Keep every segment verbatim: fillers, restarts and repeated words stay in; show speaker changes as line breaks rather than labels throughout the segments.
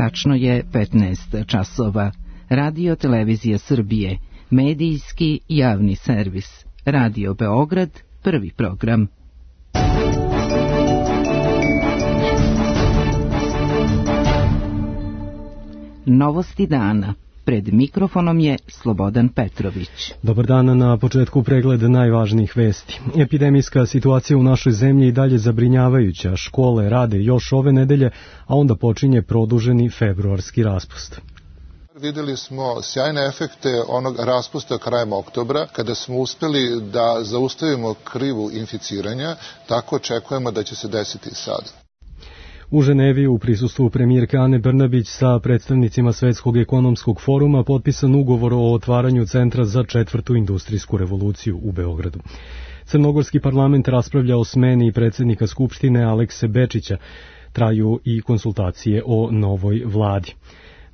Tačno je petnaest časova. Radio Televizija Srbije, medijski javni servis. Radio Beograd, prvi program. Novosti dana. Pred mikrofonom je Slobodan Petrović.
Dobar dan, na početku pregled najvažnijih vesti. Epidemijska situacija u našoj zemlji i dalje zabrinjavajuća. Škole rade još ove nedelje, a onda počinje produženi februarski raspust.
Videli smo sjajne efekte onog raspusta krajem oktobra, kada smo uspeli da zaustavimo krivu inficiranja, tako očekujemo da će se desiti i sada.
U Ženevi u prisustvu premijerke Ane Brnabić sa predstavnicima Svetskog ekonomskog foruma potpisan ugovor o otvaranju Centra za četvrtu industrijsku revoluciju u Beogradu. Crnogorski parlament raspravlja o smeni predsjednika Skupštine Alekse Bečića. Traju i konsultacije o novoj vladi.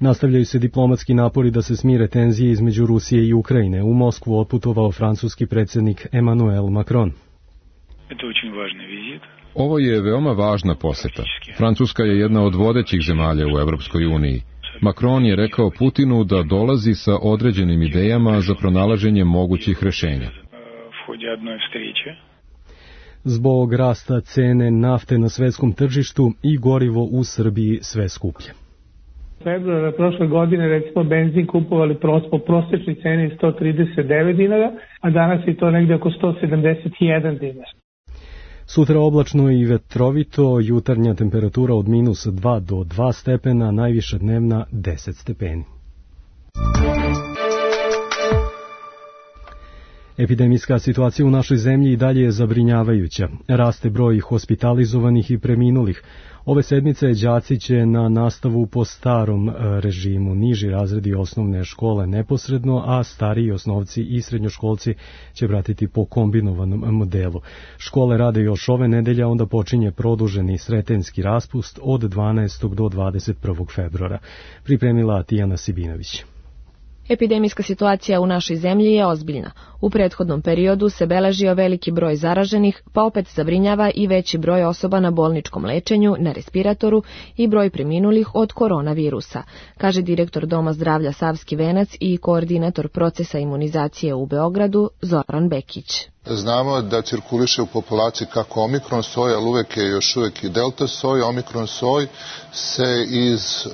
Nastavljaju se diplomatski napori da se smire tenzije između Rusije i Ukrajine. U Moskvu otputovao francuski predsjednik Emmanuel Macron.
Ovo je veoma važna poseta. Francuska je jedna od vodećih zemalja u Evropskoj uniji. Macron je rekao Putinu da dolazi sa određenim idejama za pronalaženje mogućih rešenja.
Zbog rasta cene nafte na svetskom tržištu i gorivo u Srbiji sve skuplje.
Februara prošle godine recimo benzin kupovali po prosječnoj ceni sto trideset devet dinara, a danas je to negde oko sto sedamdeset jedan dinara.
Sutra oblačno i vetrovito, jutarnja temperatura od minus dva do dva stepena, najviša dnevna deset stepeni. Epidemijska situacija u našoj zemlji i dalje je zabrinjavajuća. Raste broj hospitalizovanih i preminulih. Ove sedmice đaci će na nastavu po starom režimu, niži razredi osnovne škole neposredno, a stariji osnovci i srednjoškolci će vratiti po kombinovanom modelu. Škole rade još ove nedelje, onda počinje produženi sretenjski raspust od dvanaestog do dvadeset prvog februara. Pripremila Tijana Sibinović.
Epidemijska situacija u našoj zemlji je ozbiljna. U prethodnom periodu se beležio veliki broj zaraženih, pa opet zabrinjava i veći broj osoba na bolničkom lečenju, na respiratoru i broj preminulih od koronavirusa, kaže direktor Doma zdravlja Savski Venac i koordinator procesa imunizacije u Beogradu Zoran Bekić.
Znamo da cirkuliše u populaciji kako omikron soj, ali uvek je još uvek i delta soj. Omikron soj se iz e,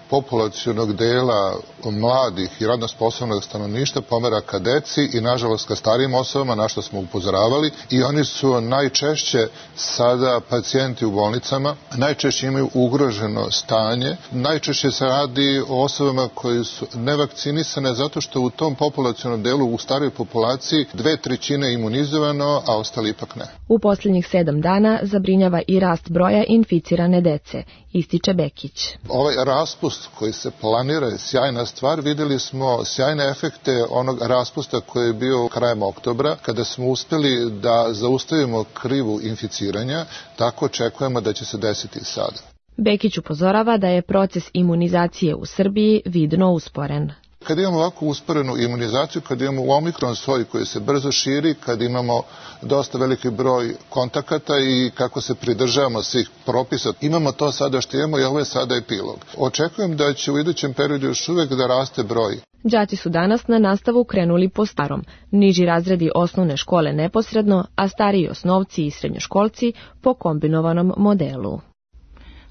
populacionog dela mladih i radno sposobnog stanovništva pomera ka deci i nažalost ka starijim osobama, na što smo upozoravali, i oni su najčešće sada pacijenti u bolnicama, najčešće imaju ugroženo stanje, najčešće se radi o osobama koje su nevakcinisane zato što u tom populacionom delu u starijoj populaciji dve trećine imunizovano, a ostali ipak ne.
U posljednjih sedam dana zabrinjava i rast broja inficirane dece, ističe Bekić.
Ovaj raspust koji se planira je sjajna stvar. Videli smo sjajne efekte onog raspusta koji je bio krajem oktobra, kada smo uspeli da zaustavimo krivu inficiranja, tako očekujemo da će se desiti i sada.
Bekić upozorava da je proces imunizacije u Srbiji vidno usporen.
Kad imamo ovako usporenu imunizaciju, kad imamo u omikron soj koji se brzo širi, kad imamo dosta veliki broj kontakata i kako se pridržavamo svih propisa, imamo to sada što imamo i ovo je sada epilog. Očekujem da će u idućem periodu još uvek da raste broj.
Đaci su danas na nastavu krenuli po starom, niži razredi osnovne škole neposredno, a stariji osnovci i srednjoškolci po kombinovanom modelu.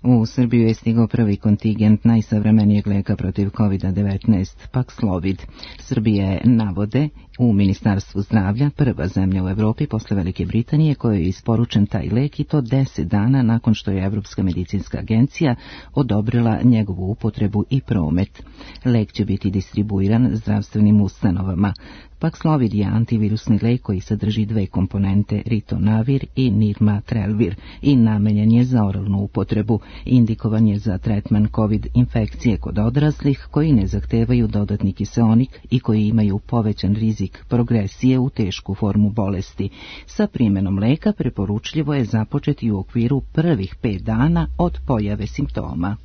U Srbiju je stigao prvi kontingent najsavremenijeg leka protiv kovid devetnaest, Paxlovid. Srbija je, navode u Ministarstvu zdravlja, prva zemlja u Evropi posle Velike Britanije kojoj je isporučen taj lek, i to deset dana nakon što je Evropska medicinska agencija odobrila njegovu upotrebu i promet. Lek će biti distribuiran zdravstvenim ustanovama. Paxlovid je antivirusni lek koji sadrži dve komponente, ritonavir i nirmatrelvir, i namenjen je za oralnu upotrebu. Indikovan je za tretman COVID infekcije kod odraslih koji ne zahtevaju dodatni kiseonik i koji imaju povećan rizik progresije u tešku formu bolesti. Sa primjenom leka preporučljivo je započeti u okviru prvih pet dana od pojave simptoma.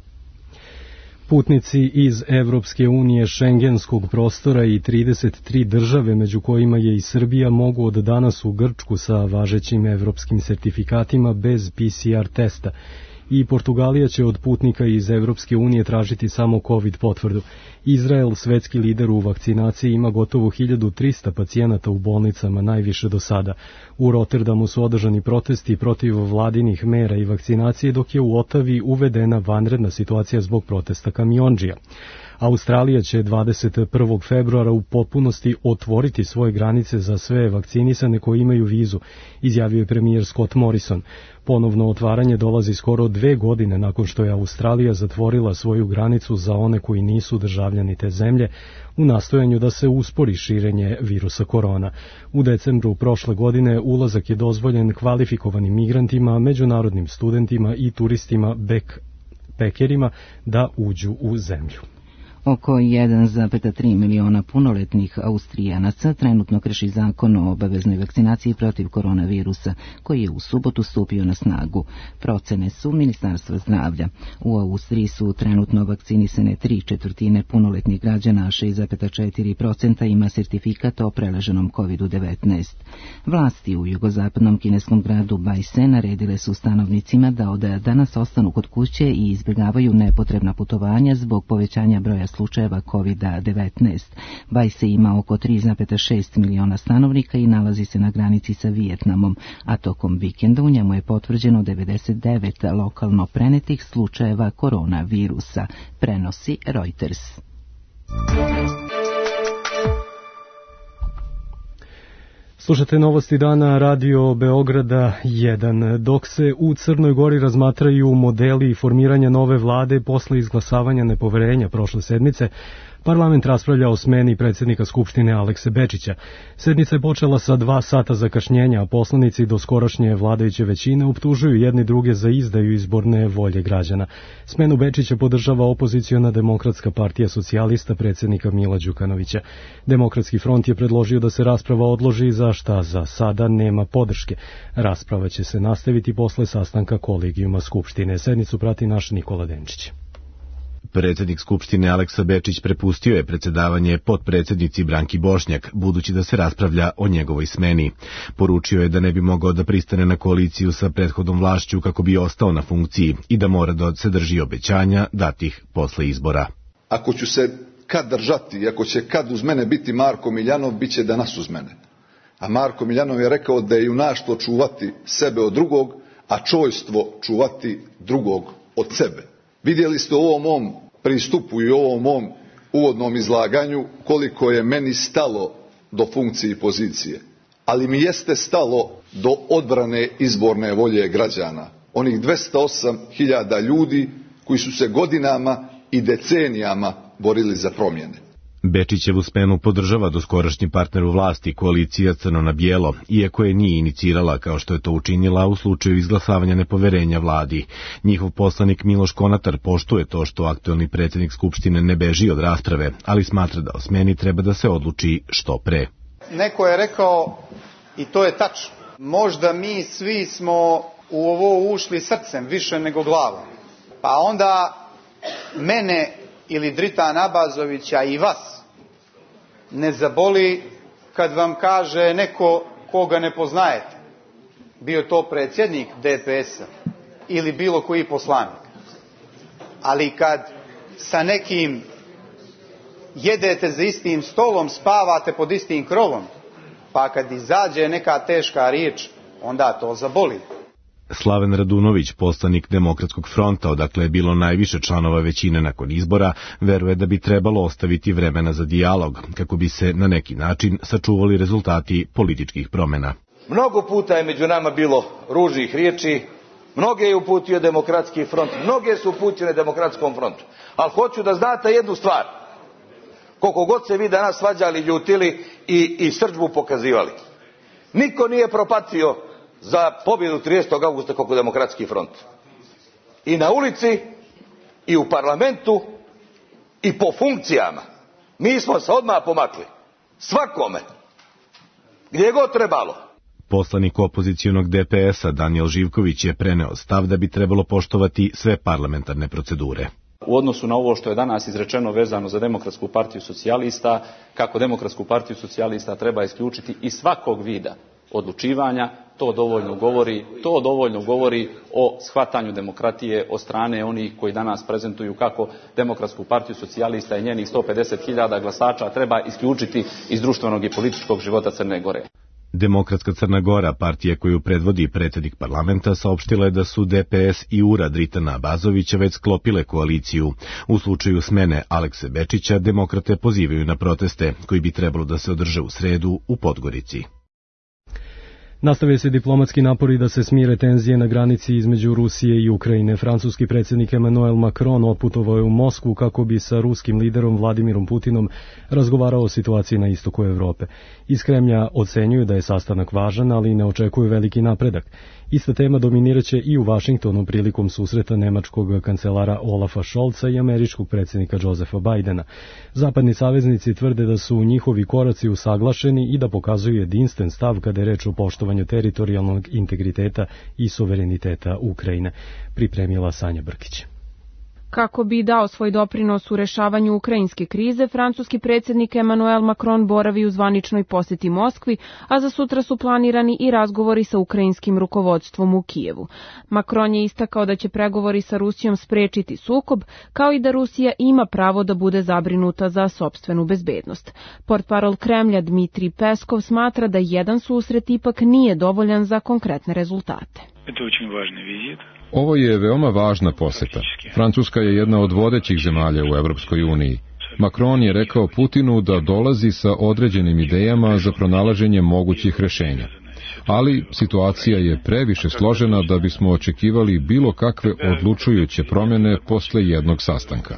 Putnici iz Evropske unije, šengenskog prostora i trideset tri države, među kojima je i Srbija, mogu od danas u Grčku sa važećim evropskim sertifikatima bez P C R testa. i Portugalija će od putnika iz Evropske unije tražiti samo COVID potvrdu. Izrael, svetski lider u vakcinaciji, ima gotovo hiljadu trista pacijenata u bolnicama, najviše do sada. U Rotterdamu su održani protesti protiv vladinih mera i vakcinacije, dok je u Otavi uvedena vanredna situacija zbog protesta kamiondžija. Australija će dvadeset prvog februara u potpunosti otvoriti svoje granice za sve vakcinisane koji imaju vizu, izjavio je premijer Scott Morrison. Ponovno otvaranje dolazi skoro dve godine nakon što je Australija zatvorila svoju granicu za one koji nisu državljani te zemlje u nastojanju da se uspori širenje virusa korona. U decembru prošle godine ulazak je dozvoljen kvalifikovanim migrantima, međunarodnim studentima i turistima backpackerima da uđu u zemlju.
Oko jedan zarez tri miliona punoletnih Austrijanaca trenutno krši zakon o obaveznoj vakcinaciji protiv koronavirusa, koji je u subotu stupio na snagu. Procene su Ministarstva zdravlja. U Austriji su trenutno vakcinisane tri četvrtine punoletnih građana, a šest zarez četiri posto ima sertifikat o preleženom kovid devetnaest. Vlasti u jugozapadnom kineskom gradu Bajse naredile su stanovnicima da od danas ostanu kod kuće i izbjegavaju nepotrebna putovanja zbog povećanja broja slučajeva kovid devetnaest. Bajse ima oko tri zarez šest miliona stanovnika i nalazi se na granici sa Vijetnamom, a tokom vikenda u njemu je potvrđeno devedeset devet lokalno prenetih slučajeva koronavirusa, prenosi Reuters.
Slušate novosti dana Radio Beograda jedan. Dok se u Crnoj Gori razmatraju modeli formiranja nove vlade posle izglasavanja nepoverenja prošle sedmice, parlament raspravlja o smeni predsjednika Skupštine Alekse Bečića. Sednica je počela sa dva sata zakašnjenja, a poslanici doskorašnje vladajuće većine optužuju jedni druge za izdaju izborne volje građana. Smenu Bečića podržava opoziciona Demokratska partija socijalista predsjednika Mila Đukanovića. Demokratski front je predložio da se rasprava odloži, za šta za sada nema podrške. Rasprava će se nastaviti posle sastanka kolegijuma Skupštine. Sednicu prati naš Nikola Denčić.
Predsjednik Skupštine Aleksa Bečić prepustio je predsjedavanje potpredsjednici Branki Bošnjak, budući da se raspravlja o njegovoj smeni. Poručio je da ne bi mogao da pristane na koaliciju sa prethodnom vlašću kako bi ostao na funkciji i da mora da se drži obećanja datih posle izbora.
Ako ću se kad držati, ako će kad uz mene biti Marko Miljanov, bit će danas uz mene. A Marko Miljanov je rekao da je junaštvo čuvati sebe od drugog, a čojstvo čuvati drugog od sebe. Vidjeli ste u ovom mom pristupu i u ovom mom uvodnom izlaganju koliko je meni stalo do funkcije i pozicije. Ali mi jeste stalo do odbrane izborne volje građana. Onih dvesta osam hiljada ljudi koji su se godinama i decenijama borili za promjene.
Bečićevu smenu podržava doskorašnji partner u vlasti, koalicija Crno na bijelo, iako je nije inicirala kao što je to učinila u slučaju izglasavanja nepoverenja vladi. Njihov poslanik Miloš Konatar poštuje to što aktuelni predsjednik Skupštine ne beži od rasprave, ali smatra da o smeni treba da se odluči što pre.
Neko je rekao, i to je tačno, možda mi svi smo u ovo ušli srcem više nego glavom, pa onda mene ili Dritana Abazovića i vas ne zaboli kad vam kaže neko koga ne poznajete, bio to predsjednik D P S-a ili bilo koji poslanik. Ali kad sa nekim jedete za istim stolom, spavate pod istim krovom, pa kad izađe neka teška riječ, onda to zaboli.
Slaven Radunović, poslanik Demokratskog fronta, odakle je bilo najviše članova većine nakon izbora, veruje da bi trebalo ostaviti vremena za dijalog, kako bi se na neki način sačuvali rezultati političkih promjena.
Mnogo puta je među nama bilo ružnih riječi, mnoge je uputio Demokratski front, mnoge su uputile Demokratskom frontu. Ali hoću da znate jednu stvar, koliko god se vi danas svađali, ljutili i, i srdžbu pokazivali. Niko nije propatio za pobjedu tridesetog avgusta kako Demokratski front. I na ulici, i u parlamentu, i po funkcijama. Mi smo se odmah pomakli. Svakome. Gdje je god trebalo.
Poslanik opozicijonog D P S-a Danijel Živković je preneo stav da bi trebalo poštovati sve parlamentarne procedure.
U odnosu na ovo što je danas izrečeno vezano za Demokratsku partiju socijalista, kako Demokratsku partiju socijalista treba isključiti iz svakog vida odlučivanja, to dovoljno govori, to dovoljno govori o shvatanju demokratije od strane onih koji danas prezentuju kako Demokratsku partiju socijalista i njenih sto pedeset hiljada glasača treba isključiti iz društvenog i političkog života Crne Gore.
Demokratska Crna Gora, partija koju predvodi predsjednik parlamenta, saopštila je da su D P S i U R A Dritana Abazovića već sklopile koaliciju. U slučaju smene Alekse Bečića, demokrate pozivaju na proteste koji bi trebalo da se održe u sredu u Podgorici.
Nastave se diplomatski napori da se smire tenzije na granici između Rusije i Ukrajine. Francuski predsjednik Emmanuel Macron otputovao je u Moskvu kako bi sa ruskim liderom Vladimirom Putinom razgovarao o situaciji na istoku Evrope. Iz Kremlja ocenjuju da je sastanak važan, ali ne očekuju veliki napredak. Ista tema dominiraće i u Vašingtonu prilikom susreta nemačkog kancelara Olafa Scholza i američkog predsjednika Josepha Bidena. Zapadni saveznici tvrde da su njihovi koraci usaglašeni i da pokazuju jedinstven stav kada je reč o poštovanju teritorijalnog integriteta i suvereniteta Ukrajine. Pripremila Sanja Brkić.
Kako bi dao svoj doprinos u rešavanju ukrajinske krize, francuski predsjednik Emmanuel Macron boravi u zvaničnoj posjeti Moskvi, a za sutra su planirani i razgovori sa ukrajinskim rukovodstvom u Kijevu. Macron je istakao da će pregovori sa Rusijom sprečiti sukob, kao i da Rusija ima pravo da bude zabrinuta za sopstvenu bezbednost. Portparol Kremlja Dmitrij Peskov smatra da jedan susret ipak nije dovoljan za konkretne rezultate.
Ovo je veoma važna poseta. Francuska je jedna od vodećih zemalja u Evropskoj uniji. Macron je rekao Putinu da dolazi sa određenim idejama za pronalaženje mogućih rešenja. Ali situacija je previše složena da bismo očekivali bilo kakve odlučujuće promjene posle jednog sastanka.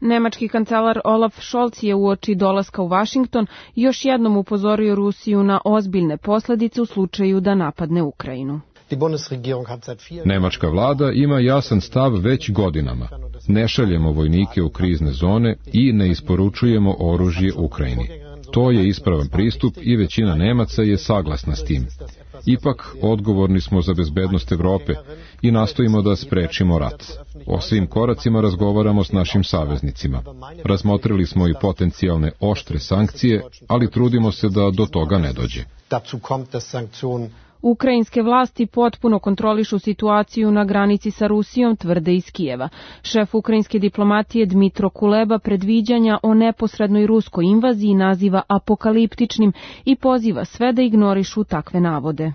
Nemački kancelar Olaf Scholz je uoči dolaska u Vašington još jednom upozorio Rusiju na ozbiljne posljedice u slučaju da napadne Ukrajinu.
Nemačka vlada ima jasan stav već godinama. Ne šaljemo vojnike u krizne zone i ne isporučujemo oružje Ukrajini. To je ispravan pristup i većina Nemaca je saglasna s tim. Ipak, odgovorni smo za bezbednost Evrope i nastojimo da sprečimo rat. O svim koracima razgovaramo s našim saveznicima. Razmotrili smo i potencijalne oštre sankcije, ali trudimo se da do toga ne dođe.
Ukrajinske vlasti potpuno kontrolišu situaciju na granici sa Rusijom, tvrde iz Kijeva. Šef ukrajinske diplomatije Dmitro Kuleba predviđanja o neposrednoj ruskoj invaziji naziva apokaliptičnim i poziva sve da ignorišu takve navode.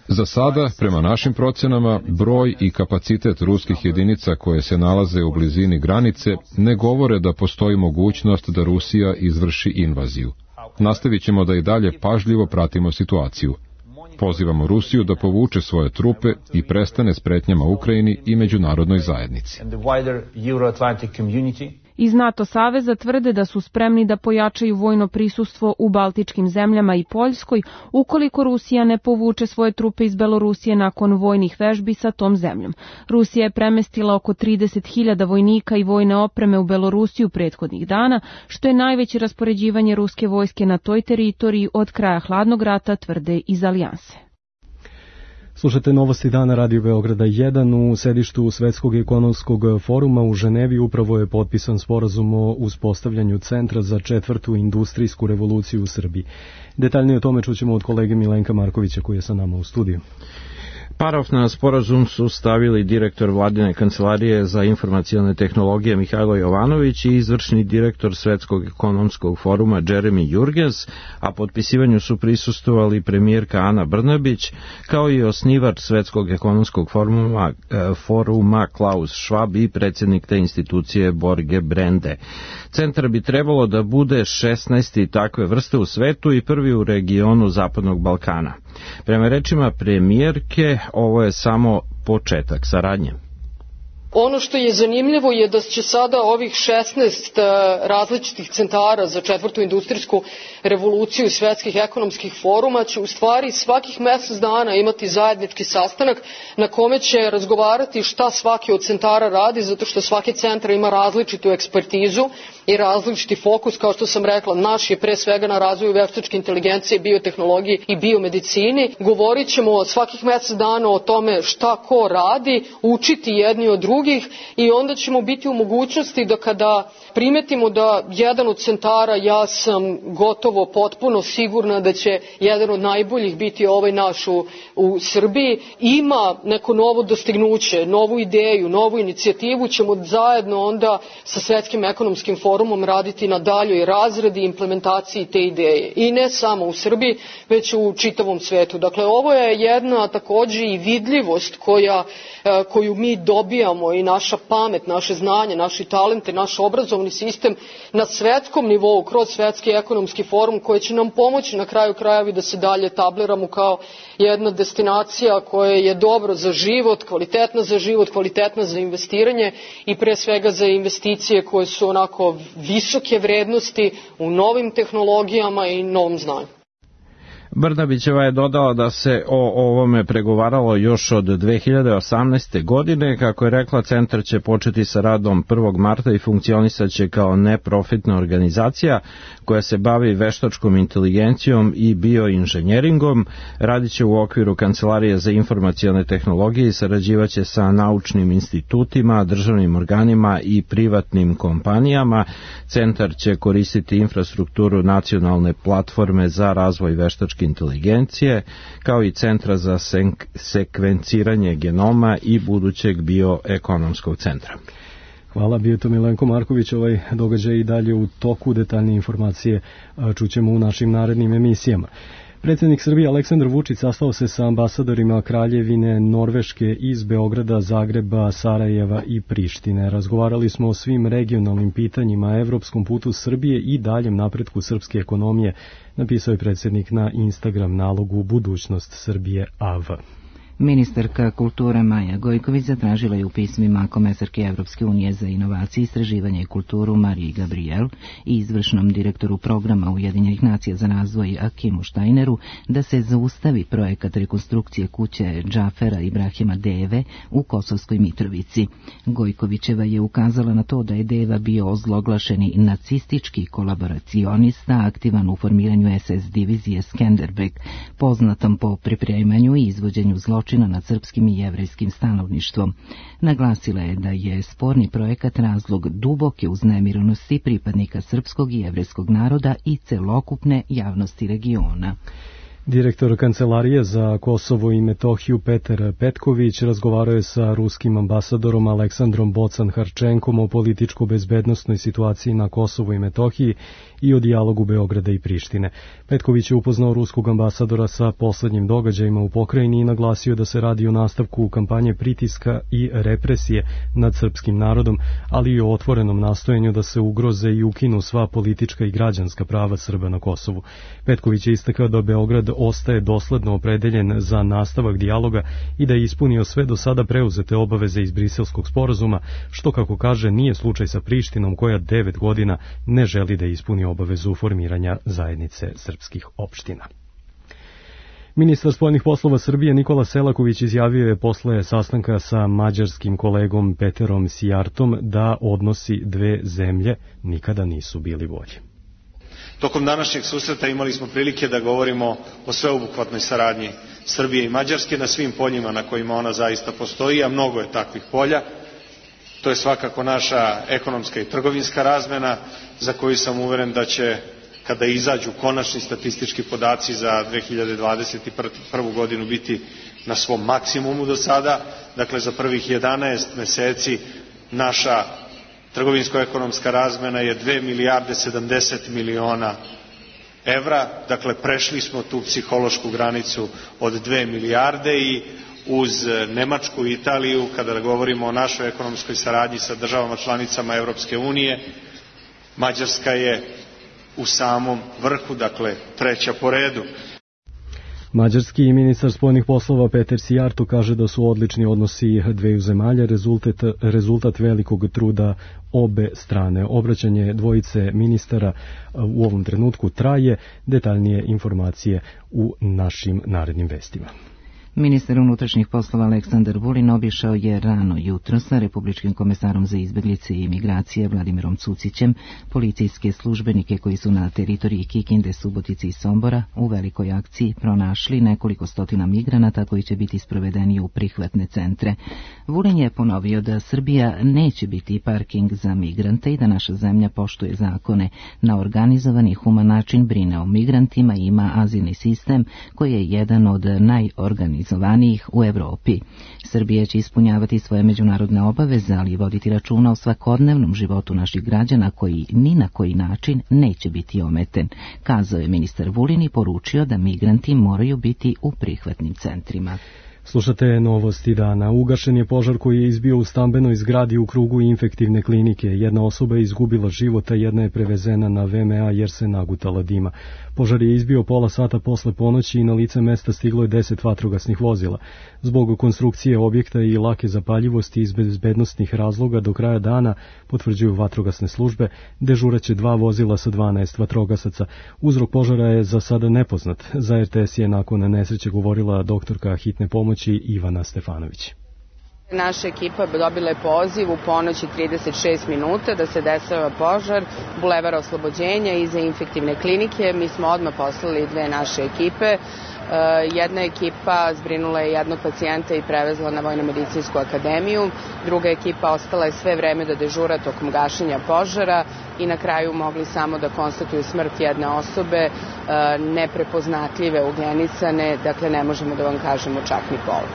Za sada, prema našim procenama, broj i kapacitet ruskih jedinica koje se nalaze u blizini granice ne govore da postoji mogućnost da Rusija izvrši invaziju. Nastavit ćemo da i dalje pažljivo pratimo situaciju. Pozivamo Rusiju da povuče svoje trupe i prestane s pretnjama Ukrajini i međunarodnoj zajednici.
Iz NATO saveza tvrde da su spremni da pojačaju vojno prisustvo u Baltičkim zemljama i Poljskoj ukoliko Rusija ne povuče svoje trupe iz Belorusije nakon vojnih vežbi sa tom zemljom. Rusija je premestila oko trideset hiljada vojnika i vojne opreme u Belorusiju prethodnih dana, što je najveće raspoređivanje ruske vojske na toj teritoriji od kraja hladnog rata, tvrde iz Alijanse.
Slušate novosti dana Radio Beograda jedan. U sedištu Svetskog ekonomskog foruma u Ženevi upravo je potpisan sporazum o uspostavljanju centra za četvrtu industrijsku revoluciju u Srbiji. Detaljnije o tome čućemo od kolege Milenka Markovića koji je sa nama u studiju.
Parov na sporazum su stavili direktor Vladine kancelarije za informacione tehnologije Mihajlo Jovanović i izvršni direktor Svetskog ekonomskog foruma Jeremy Jurgens, a potpisivanju su prisustvovali premijerka Ana Brnabić, kao i osnivač Svetskog ekonomskog foruma, foruma Klaus Schwab i predsjednik te institucije Borge Brende. Centar bi trebalo da bude šesnaesti takve vrste u svetu i prvi u regionu Zapadnog Balkana. Prema rečima premijerke, ovo je samo početak saradnje.
Ono što je zanimljivo je da će sada ovih šesnaest različitih centara za četvrtu industrijsku revoluciju svetskih ekonomskih foruma će u stvari svakih mjesec dana imati zajednički sastanak na kome će razgovarati šta svaki od centara radi, zato što svaki centar ima različitu ekspertizu i različiti fokus. Kao što sam rekla, naš je pre svega na razvoju veštačke inteligencije, biotehnologije i biomedicini. Govorit ćemo svakih mesec dana o tome šta ko radi, učiti jedni od drugih i onda ćemo biti u mogućnosti da kada primetimo da jedan od centara, ja sam gotovo potpuno sigurna da će jedan od najboljih biti ovaj naš u, u Srbiji, ima neko novo dostignuće, novu ideju, novu inicijativu, ćemo zajedno onda sa Svetskim ekonomskim forumom raditi na daljoj razradi i implementaciji te ideje. I ne samo u Srbiji, već u čitavom svetu. Dakle, ovo je jedna takođe i vidljivost koja, koju mi dobijamo i naša pamet, naše znanje, naši talente, naš obrazovni sistem na svetskom nivou, kroz Svetski ekonomski forum, koji će nam pomoći na kraju krajevi da se dalje tabliramo kao jedna destinacija koja je dobro za život, kvalitetna za život, kvalitetna za investiranje i pre svega za investicije koje su onako visoke vrednosti u novim tehnologijama i novom znanju.
Brnabićeva je dodala da se o ovome pregovaralo još od dve hiljade osamnaeste. godine. Kako je rekla, centar će početi sa radom prvog marta i funkcionisaće kao neprofitna organizacija koja se bavi veštačkom inteligencijom i bioinženjeringom. Radiće u okviru Kancelarije za informacione tehnologije i sarađivaće sa naučnim institutima, državnim organima i privatnim kompanijama. Centar će koristiti infrastrukturu nacionalne platforme za razvoj veštačke inteligencije, kao i Centra za sekvenciranje genoma i budućeg bioekonomskog centra.
Hvala, bio to Milenko Marković. Ovaj događaj i dalje u toku, detaljne informacije čućemo u našim narednim emisijama. Predsjednik Srbije Aleksandar Vučić sastao se sa ambasadorima Kraljevine Norveške iz Beograda, Zagreba, Sarajeva i Prištine. Razgovarali smo o svim regionalnim pitanjima, evropskom putu Srbije i daljem napretku srpske ekonomije, napisao je predsjednik na Instagram nalogu Budućnost Srbije A V.
Ministarka kulture Maja Gojković zatražila je u pismima komesarke Evropske unije za inovacije, istraživanje i kulturu Mariji Gabriel i izvršnom direktoru programa Ujedinjenih nacija za razvoj Akimu Štajneru da se zaustavi projekat rekonstrukcije kuće Džafera Ibrahima Deve u Kosovskoj Mitrovici. Gojkovićeva je ukazala na to da je Deva bio ozloglašeni nacistički kolaboracionista aktivan u formiranju es es divizije Skenderbeg, poznatom po pripremanju i izvođenju zločina nad srpskim i jevrejskim stanovništvom. Naglasila je da je sporni projekat razlog duboke uznemirenosti pripadnika srpskog i jevrejskog naroda i celokupne javnosti regiona.
Direktor Kancelarije za Kosovo i Metohiju Petar Petković razgovarao je sa ruskim ambasadorom Aleksandrom Bocan-Harčenkom o političko-bezbednostnoj situaciji na Kosovu i Metohiji i o dijalogu Beograda i Prištine. Petković je upoznao ruskog ambasadora sa poslednjim događajima u pokrajini i naglasio da se radi o nastavku kampanje pritiska i represije nad srpskim narodom, ali i o otvorenom nastojanju da se ugroze i ukinu sva politička i građanska prava Srba na Kosovu. Petković je istakao da Beograd ostaje dosledno opredeljen za nastavak dijaloga i da je ispunio sve do sada preuzete obaveze iz Briselskog sporazuma, što, kako kaže, nije slučaj sa Prištinom koja devet godina ne želi da ispuni obavezu formiranja zajednice srpskih opština. Ministar spoljnih poslova Srbije Nikola Selaković izjavio je posle sastanka sa mađarskim kolegom Peterom Sijartom da odnosi dve zemlje nikada nisu bili bolji.
Tokom današnjeg susreta imali smo prilike da govorimo o sveobuhvatnoj saradnji Srbije i Mađarske na svim poljima na kojima ona zaista postoji, a mnogo je takvih polja. To je svakako naša ekonomska i trgovinska razmena, za koju sam uveren da će, kada izađu konačni statistički podaci za dve hiljade dvadeset prvu. godinu, biti na svom maksimumu do sada. Dakle, za prvih jedanaest meseci naša trgovinsko-ekonomska razmena je dve milijarde sedamdeset miliona evra, dakle prešli smo tu psihološku granicu od dve milijarde i uz Nemačku i Italiju, kada govorimo o našoj ekonomskoj saradnji sa državama članicama Evropske unije, Mađarska je u samom vrhu, dakle treća po redu.
Mađarski ministar spoljnih poslova Peter Sijarto kaže da su odlični odnosi dveju zemalja rezultat, rezultat velikog truda obe strane. Obraćanje dvojice ministara u ovom trenutku traje. Detaljnije informacije u našim narednim vestima.
Ministar unutrašnjih poslova Aleksandar Vulin obišao je rano jutro sa republičkim komesarom za izbeglice i imigracije Vladimirom Cucićem policijske službenike koji su na teritoriji Kikinde, Subotice i Sombora u velikoj akciji pronašli nekoliko stotina migranata koji će biti sprovedeni u prihvatne centre. Vulin je ponovio da Srbija neće biti parking za migrante i da naša zemlja poštuje zakone, na organizovan i human način brine o migrantima i ima azilni sistem koji je jedan od najorganizovanijih u Evropi. Srbija će ispunjavati svoje međunarodne obaveze, ali i voditi računa o svakodnevnom životu naših građana koji ni na koji način neće biti ometen, kazao je ministar Vulin i poručio da migranti moraju biti u prihvatnim centrima.
Slušate novosti dana. Ugašen je požar koji je izbio u stambenoj zgradi u krugu infektivne klinike. Jedna osoba je izgubila život, a jedna je prevezena na V M A jer se nagutala dima. Požar je izbio pola sata posle ponoći i na lice mesta stiglo je deset vatrogasnih vozila. Zbog konstrukcije objekta i lake zapaljivosti iz bezbednostnih razloga do kraja dana, potvrđuju vatrogasne službe, dežuraće dva vozila sa dvanaest vatrogasaca. Uzrok požara je za sada nepoznat. Za R T S je nakon nesreće govorila doktorka hitne pomoći Ivana Stefanović.
Naša ekipa dobila je poziv u ponoć i trideset šest minuta da se dešava požar Bulevara Oslobođenja iza infektivne klinike. Mi smo odmah poslali dve naše ekipe. Jedna ekipa zbrinula je jednog pacijenta i prevezla na Vojno-medicinsku akademiju. Druga ekipa ostala je sve vreme da dežura tokom gašenja požara i na kraju mogli samo da konstatuju smrt jedne osobe, neprepoznatljive, ugenisane, dakle ne možemo da vam kažemo čak ni pol.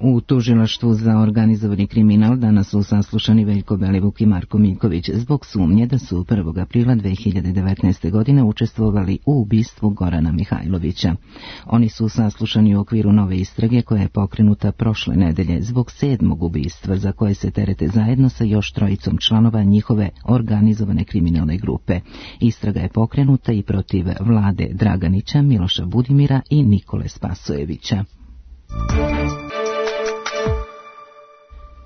U tužilaštvu za organizovani kriminal danas su saslušani Veljko Belivuk i Marko Miljković zbog sumnje da su prvog aprila dve hiljade devetnaeste. godine učestvovali u ubistvu Gorana Mihajlovića. Oni su saslušani u okviru nove istrage koja je pokrenuta prošle nedelje zbog sedmog ubistva za koje se terete zajedno sa još trojicom članova njihove organizovane kriminalne grupe. Istraga je pokrenuta i protiv Vlade Draganića, Miloša Budimira i Nikole Spasojevića.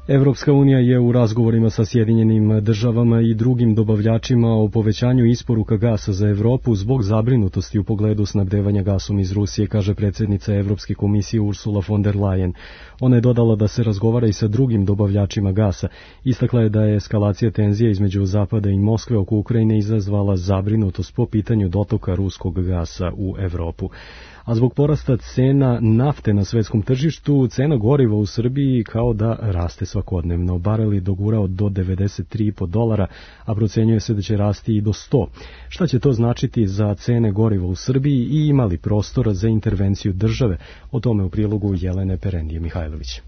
Evropska unija je u razgovorima sa Sjedinjenim državama i drugim dobavljačima o povećanju isporuka gasa za Evropu zbog zabrinutosti u pogledu snabdevanja gasom iz Rusije, kaže predsjednica Evropske komisije Ursula von der Leyen. Ona je dodala da se razgovara i sa drugim dobavljačima gasa. Istakla je da je eskalacija tenzija između Zapada i Moskve oko Ukrajine izazvala zabrinutost po pitanju dotoka ruskog gasa u Evropu. A zbog porasta cena nafte na svetskom tržištu, cena goriva u Srbiji kao da raste svakodnevno. Barel je dogurao do devedeset tri zarez pet dolara, a procenjuje se da će rasti i do sto. Šta će to značiti za cene goriva u Srbiji i ima li prostora za intervenciju države? O tome u prilogu Jelene Perendije Mihajlović.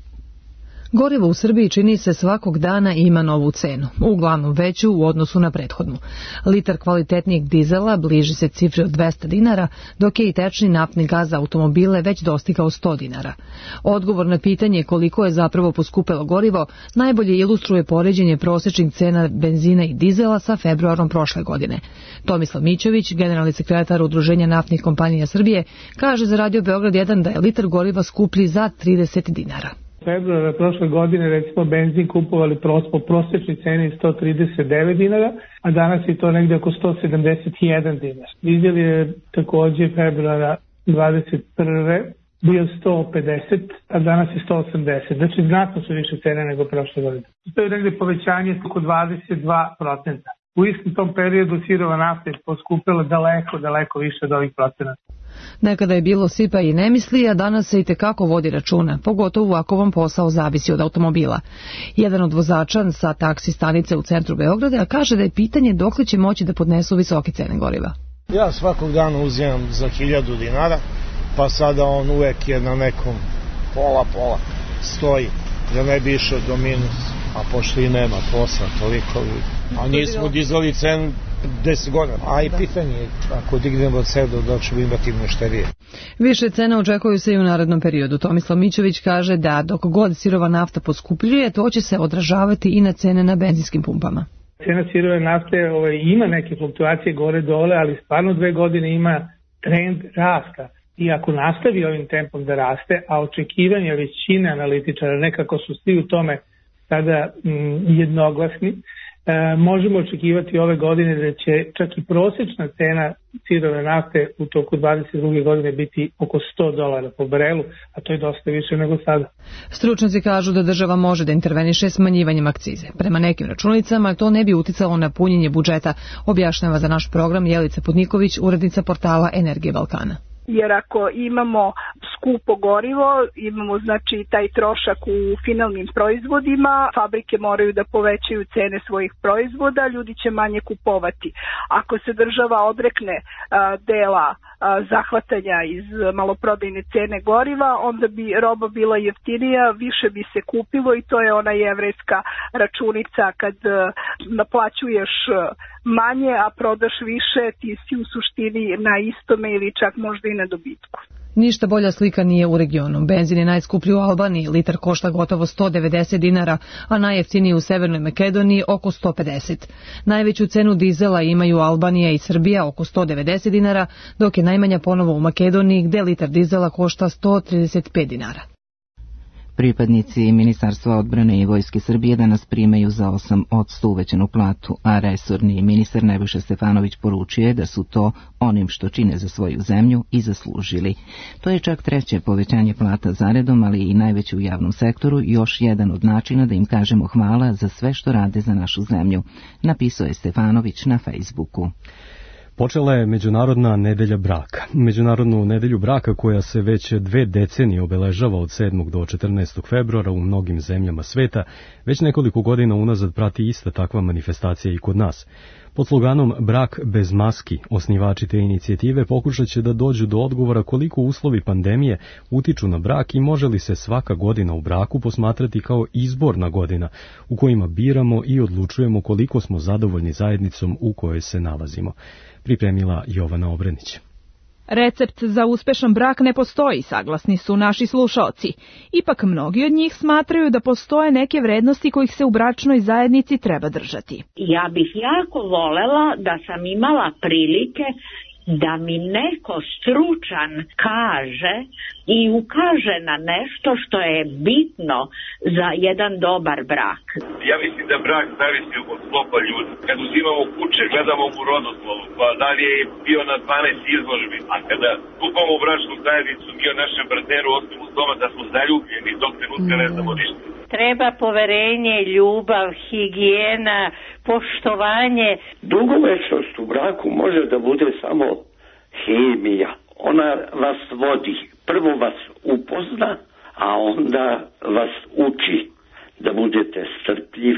Gorivo u Srbiji čini se svakog dana ima novu cenu, uglavnom veću u odnosu na prethodnu. Litar kvalitetnijeg dizela bliži se cifri od dvesta dinara, dok je i tečni naftni gaz za automobile već dostigao sto dinara. Odgovor na pitanje koliko je zapravo poskupelo gorivo najbolje ilustruje poređenje prosječnih cena benzina i dizela sa februarom prošle godine. Tomislav Mićović, generalni sekretar Udruženja naftnih kompanija Srbije, kaže za Radio Beograd jedan da je litar goriva skuplji za trideset dinara.
Februara prošle godine recimo benzin kupovali po prosječnoj ceni sto trideset devet dinara, a danas je to negde oko sto sedamdeset jedan dinar. Dizel je takođe februara dvadeset prve bio sto pedeset, a danas je sto osamdeset. Znači znatno su više cene nego prošle godine. To je negde povećanje oko dvadeset dva procenta. U istom tom periodu sirova nafta je poskupila daleko, daleko više od ovih procenata.
Nekada je bilo sipa i ne misli, a danas se i tekako vodi računa, pogotovo ako vam posao zavisi od automobila. Jedan od vozača sa taksi stanice u centru Beograda kaže da je pitanje dokle će moći da podnesu visoke cene goriva.
Ja svakog dana uzimam za hiljadu dinara, pa sada on uvek je na nekom pola-pola stoji, da ne bi išao do minus, a pošto i nema posla toliko, a nismo dizali cenu deset godina, a i pitanje je ako dignemo od sebe dok ćemo imati mnošterije.
Više cena očekuju se i u narednom periodu. Tomislav Mićović kaže da dok god sirova nafta poskupljuje, to će se odražavati i na cene na benzinskim pumpama.
Cena sirove nafte ovaj, ima neke fluktuacije gore dole, ali stvarno dve godine ima trend rasta. I ako nastavi ovim tempom da raste, a očekivanja većine analitičara nekako su svi u tome sada mm, jednoglasni, E, možemo očekivati ove godine da će čak i prosječna cena sirove nafte u toku dvadeset druge godine biti oko sto dolara po barelu, a to je dosta više nego sada.
Stručnjaci kažu da država može da interveniše smanjivanjem akcize. Prema nekim računicama to ne bi uticalo na punjenje budžeta, objašnjava za naš program Jelica Putniković, urednica portala Energije Balkana.
Jer ako imamo skupo gorivo, imamo znači taj trošak u finalnim proizvodima, fabrike moraju da povećaju cene svojih proizvoda, ljudi će manje kupovati. Ako se država odrekne a, dela a, zahvatanja iz maloprodajne cene goriva, onda bi roba bila jeftinija, više bi se kupilo i to je ona jevrejska računica kad a, naplaćuješ manje, a prodaš više, ti si u suštini na istome ili čak možda i na dobitku.
Ništa bolja slika nije u regionu. Benzin je najskuplji u Albaniji, litar košta gotovo sto devedeset dinara, a najjeftiniji u Severnoj Makedoniji oko sto pedeset. Najveću cenu dizela imaju Albanija i Srbija oko sto devedeset dinara, dok je najmanja ponovo u Makedoniji gde litar dizela košta sto trideset pet dinara.
Pripadnici Ministarstva odbrane i Vojske Srbije danas primaju za osam posto uvećanu platu, a resorni ministar Nebojša Stefanović poručuje da su to onim što čine za svoju zemlju i zaslužili. To je čak treće povećanje plata zaredom, ali i najveće u javnom sektoru, još jedan od načina da im kažemo hvala za sve što rade za našu zemlju, napisao je Stefanović na Facebooku.
Počela je Međunarodna nedelja braka. Međunarodnu nedelju braka koja se već dve decenije obeležava od sedmog do četrnaestog februara u mnogim zemljama sveta, već nekoliko godina unazad prati ista takva manifestacija i kod nas. Pod sloganom Brak bez maski, osnivači te inicijative pokušat će da dođu do odgovora koliko uslovi pandemije utiču na brak i može li se svaka godina u braku posmatrati kao izborna godina u kojima biramo i odlučujemo koliko smo zadovoljni zajednicom u kojoj se nalazimo. Pripremila Jovana Obrenić.
Recept za uspešan brak ne postoji, saglasni su naši slušaoci. Ipak mnogi od njih smatraju da postoje neke vrednosti kojih se u bračnoj zajednici treba držati.
Ja bih jako volela da sam imala prilike da mi neko stručan kaže i ukaže na nešto što je bitno za jedan dobar brak.
Ja mislim da brak zavisi od sklopa ljudi. Kad uzimamo kuće, gledamo u rodoslovu, pa da li je bio na dvanaest izložbi, a kada kupamo u bračnu zajednicu, mi o našem partneru osim uz doma da smo zaljubljeni, dok trenutka ne znamo ništa.
Treba poverenje, ljubav, higijena, poštovanje.
Dugovečnost u braku može da bude samo hemija. Ona vas vodi. Prvo vas upozna, a onda vas uči da budete strpljiv,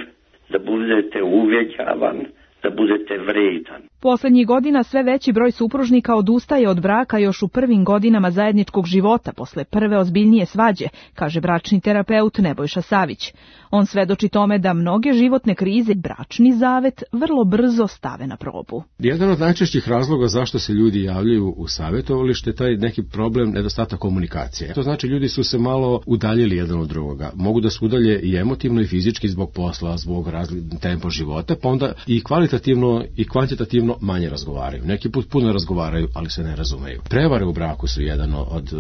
da budete uveđavan, da budete vredan.
Poslednjih godina sve veći broj supružnika odustaje od braka još u prvim godinama zajedničkog života posle prve ozbiljnije svađe, kaže bračni terapeut Nebojša Savić. On svedoči tome da mnoge životne krize bračni zavet vrlo brzo stave na probu.
Jedan od najčešćih razloga zašto se ljudi javljaju u savjetovalište je taj neki problem nedostatak komunikacije. To znači ljudi su se malo udaljili jedan od drugoga. Mogu da se udalje i emotivno i fizički zbog posla, zbog različitog tempa života, pa onda i kvalitativno i kvantitativno manje razgovaraju. Neki put puno razgovaraju, ali se ne razumeju. Prevare u braku su jedan od,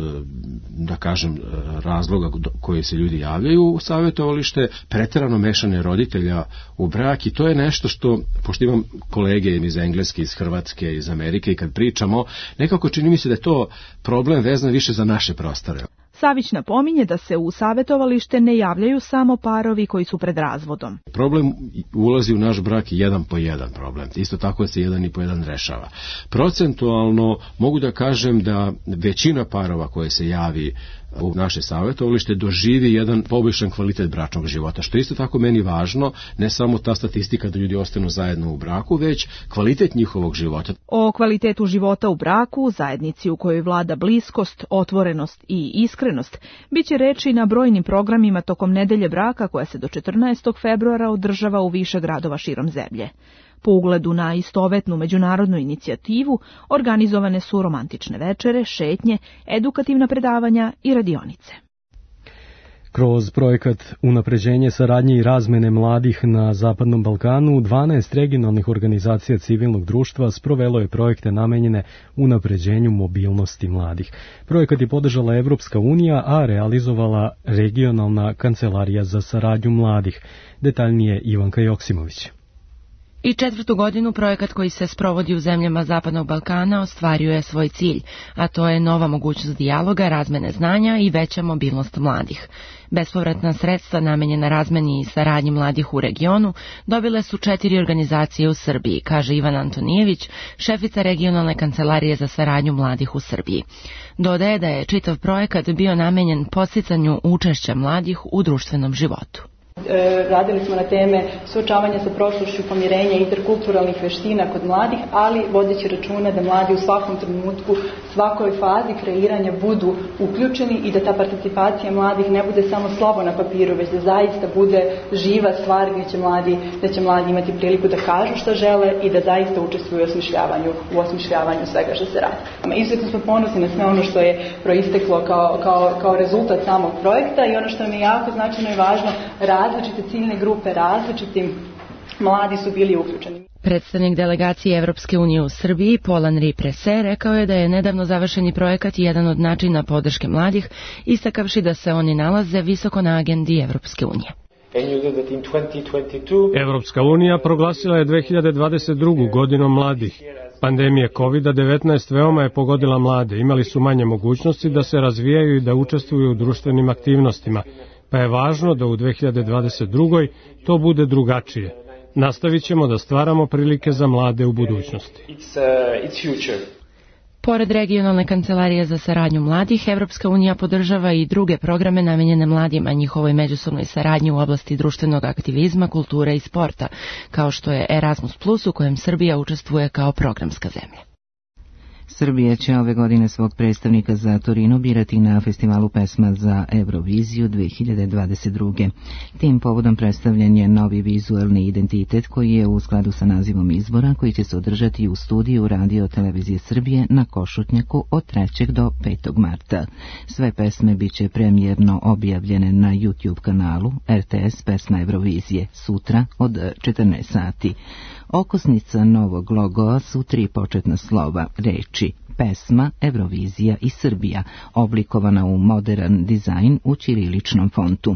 da kažem, razloga koji se ljudi javljaju u savjetovalište, preterano mešanje roditelja u brak i to je nešto što, pošto imam kolege iz Engleske, iz Hrvatske, iz Amerike i kad pričamo, nekako čini mi se da je to problem vezan više za naše prostore.
Savić napominje da se u savjetovalište ne javljaju samo parovi koji su pred razvodom.
Problem ulazi u naš brak jedan po jedan problem. Isto tako se jedan i po jedan rešava. Procentualno mogu da kažem da većina parova koje se javi u naše savjetovalište doživi jedan poboljšan kvalitet bračnog života, što je isto tako meni važno, ne samo ta statistika da ljudi ostanu zajedno u braku, već kvalitet njihovog života.
O kvalitetu života u braku, zajednici u kojoj vlada bliskost, otvorenost i iskrenost, biće reči na brojnim programima tokom nedelje braka koja se do četrnaestog februara održava u više gradova širom zemlje. Po ugledu na istovetnu međunarodnu inicijativu organizovane su romantične večere, šetnje, edukativna predavanja i radionice.
Kroz projekat Unapređenje saradnje i razmene mladih na Zapadnom Balkanu, dvanaest regionalnih organizacija civilnog društva sprovelo je projekte namenjene unapređenju mobilnosti mladih. Projekat je podržala Evropska unija, a realizovala regionalna kancelarija za saradnju mladih. Detaljnije Ivanka Joksimović.
I četvrtu godinu projekat koji se sprovodi u zemljama Zapadnog Balkana ostvario je svoj cilj, a to je nova mogućnost dijaloga, razmene znanja i veća mobilnost mladih. Bespovratna sredstva namenjena razmeni i saradnji mladih u regionu dobile su četiri organizacije u Srbiji, kaže Ivan Antonijević, šefica regionalne kancelarije za saradnju mladih u Srbiji. Dodaje da je čitav projekat bio namenjen podsticanju učešća mladih u društvenom životu.
Radili smo na teme suočavanja sa prošlošću, pomirenja i interkulturalnih veština kod mladih, ali vodeći računa da mladi u svakom trenutku, svakoj fazi kreiranja budu uključeni i da ta participacija mladih ne bude samo slovo na papiru, već da zaista bude živa stvar gdje će mladi, da će mladi imati priliku da kažu šta žele i da zaista učestvuju u osmišljavanju, u osmišljavanju svega što se radi. Izuzetno smo ponosni na sve ono što je proisteklo kao, kao, kao rezultat samog projekta i ono što nam je jako značajno i važno, različite ciljne grupe, različitim mladi su bili uključeni.
Predstavnik delegacije Evropske unije u Srbiji, Paul-Henri Prese, rekao je da je nedavno završeni projekat jedan od načina podrške mladih, istakavši da se oni nalaze visoko na agendi Evropske unije.
Evropska unija proglasila je dve hiljade dvadeset drugu godinom mladih. Pandemija kovid devetnaest veoma je pogodila mlade, imali su manje mogućnosti da se razvijaju i da učestvuju u društvenim aktivnostima, pa je važno da u dve hiljade dvadeset drugoj to bude drugačije. Nastavit ćemo da stvaramo prilike za mlade u budućnosti.
Pored regionalne kancelarije za saradnju mladih, Evropska unija podržava i druge programe namenjene mladima, njihovoj međusobnoj saradnji u oblasti društvenog aktivizma, kulture i sporta, kao što je Erasmus plus, u kojem Srbija učestvuje kao programska zemlja.
Srbija će ove godine svog predstavnika za Torino birati na festivalu pesma za Euroviziju dve hiljade dvadeset druge. Tim povodom predstavljen je novi vizualni identitet koji je u skladu sa nazivom izbora koji će se održati u studiju Radio Televizije Srbije na Košutnjaku od trećeg do petog marta. Sve pesme biće premijerno objavljene na YouTube kanalu R T S Pesma Eurovizije sutra od četrnaest sati. Okosnica novog logoa su tri početna slova, reči pesma, Eurovizija i Srbija, oblikovana u modern dizajn u ćiriličnom fontu.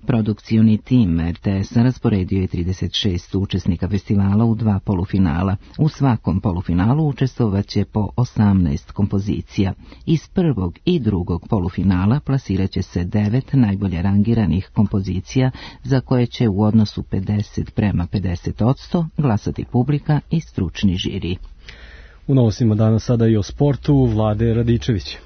Produkcioni tim R T S-a rasporedio je trideset šest učesnika festivala u dva polufinala. U svakom polufinalu učestvovaće po osamnaest kompozicija. Iz prvog i drugog polufinala plasiraće se devet najbolje rangiranih kompozicija za koje će u odnosu pedeset prema pedeset odsto glasati publika i stručni žiri.
U novostima danas sada i o sportu, Vlade Radičević.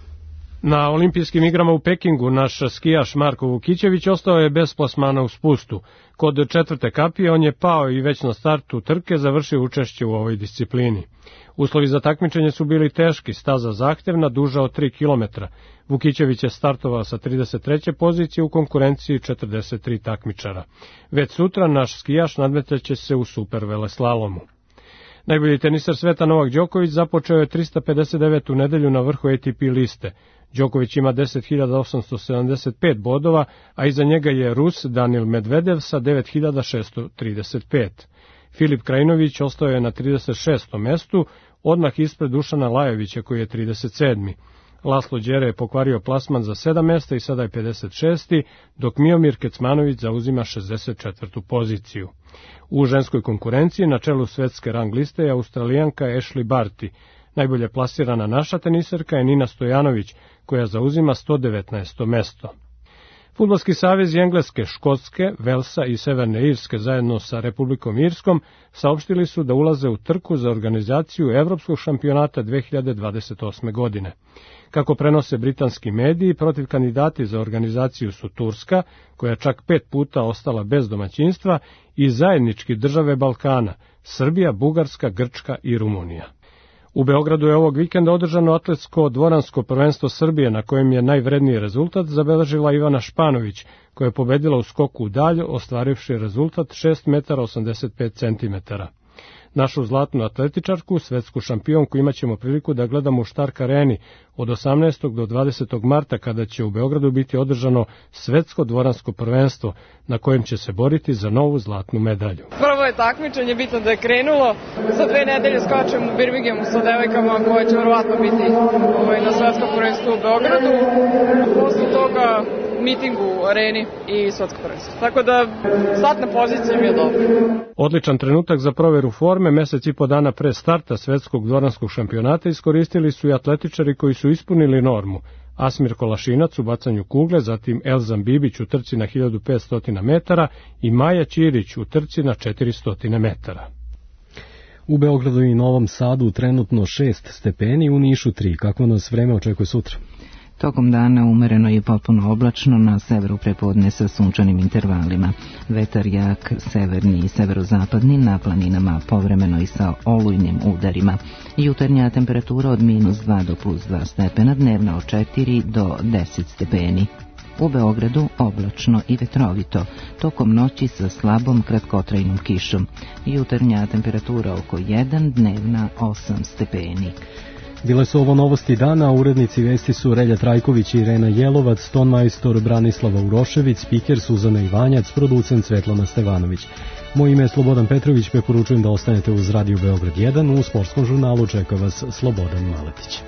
Na olimpijskim igrama u Pekingu naš skijaš Marko Vukićević ostao je bez plasmana u spustu. Kod četvrte kapije on je pao i već na startu trke završio učešće u ovoj disciplini. Uslovi za takmičenje su bili teški, staza zahtevna, duža od tri kilometra. Vukićević je startovao sa trideset treće pozicije u konkurenciji četrdeset tri takmičara. Već sutra naš skijaš nadmetaće se u super veleslalomu. Najbolji tenisar sveta Novak Đoković započeo je trista pedeset devetu nedelju na vrhu A T P liste. Đoković ima deset hiljada osamsto sedamdeset pet bodova, a iza njega je Rus Danil Medvedev sa devet hiljada šesto trideset pet. Filip Krajinović ostao je na trideset šestom mestu, odmah ispred Dušana Lajovića koji je trideset sedmi. Laslo Đere je pokvario plasman za sedam mesta i sada je pedeset šesti, dok Miomir Kecmanović zauzima šezdeset četvrtu poziciju. U ženskoj konkurenciji na čelu svetske rang liste je Australijanka Ashley Barty. Najbolje plasirana naša teniserka je Nina Stojanović, koja zauzima sto devetnaesto mesto. Fudbalski savez Engleske, Škotske, Velsa i Severne Irske zajedno sa Republikom Irskom saopštili su da ulaze u trku za organizaciju Evropskog šampionata dve hiljade dvadeset osme. godine. Kako prenose britanski mediji, protiv kandidati za organizaciju su Turska, koja čak pet puta ostala bez domaćinstva, i zajednički države Balkana, Srbija, Bugarska, Grčka i Rumunija. U Beogradu je ovog vikenda održano atletsko dvoransko prvenstvo Srbije, na kojem je najvredniji rezultat zabeležila Ivana Španović, koja je pobedila u skoku u dalj, ostvarivši rezultat šest metara osamdeset pet centimetara. Našu zlatnu atletičarku, svetsku šampionku, imat ćemo priliku da gledamo u Štark areni od osamnaestog do dvadesetog marta, kada će u Beogradu biti održano svetsko dvoransko prvenstvo, na kojem će se boriti za novu zlatnu medalju.
Prvo je takmičenje, bitno da je krenulo. Za dve nedelje skačem u Birminghamu sa devojkama koje će verovatno biti ovaj, na svetskom prvenstvu u Beogradu. Posle toga mitingu u areni i svetsko prvenstvo. Tako da startna pozicija mi je dobra.
Odličan trenutak za proveru forme mesec i po dana pre starta svetskog dvoranskog šampionata iskoristili su i atletičari koji su ispunili normu. Asmir Kolašinac u bacanju kugle, zatim Elzan Bibić u trci na hiljadu petsto metara i Maja Ćirić u trci na četiristo metara.
U Beogradu i Novom Sadu trenutno šest stepeni, u Nišu tri. Kako nas vreme očekuje sutra?
Tokom dana umereno i potpuno oblačno, na severu prepodne sa sunčanim intervalima. Vetar jak, severni i severozapadni, na planinama povremeno i sa olujnim udarima. Jutarnja temperatura od minus dva do plus dva stepena, dnevna od četiri do deset stepeni. U Beogradu oblačno i vetrovito, tokom noći sa slabom kratkotrajnom kišom. Jutarnja temperatura oko jedan, dnevna osam stepeni.
Bile su ovo novosti dana, urednici vesti su Relja Trajković i Irena Jelovac, tonmajstor Branislava Urošević, spiker Suzana Ivanjac, producent Svetlana Stevanović. Moje ime je Slobodan Petrović, preporučujem da ostanete uz Radio Beograd jedan, u sportskom žurnalu čeka vas Slobodan Maletić.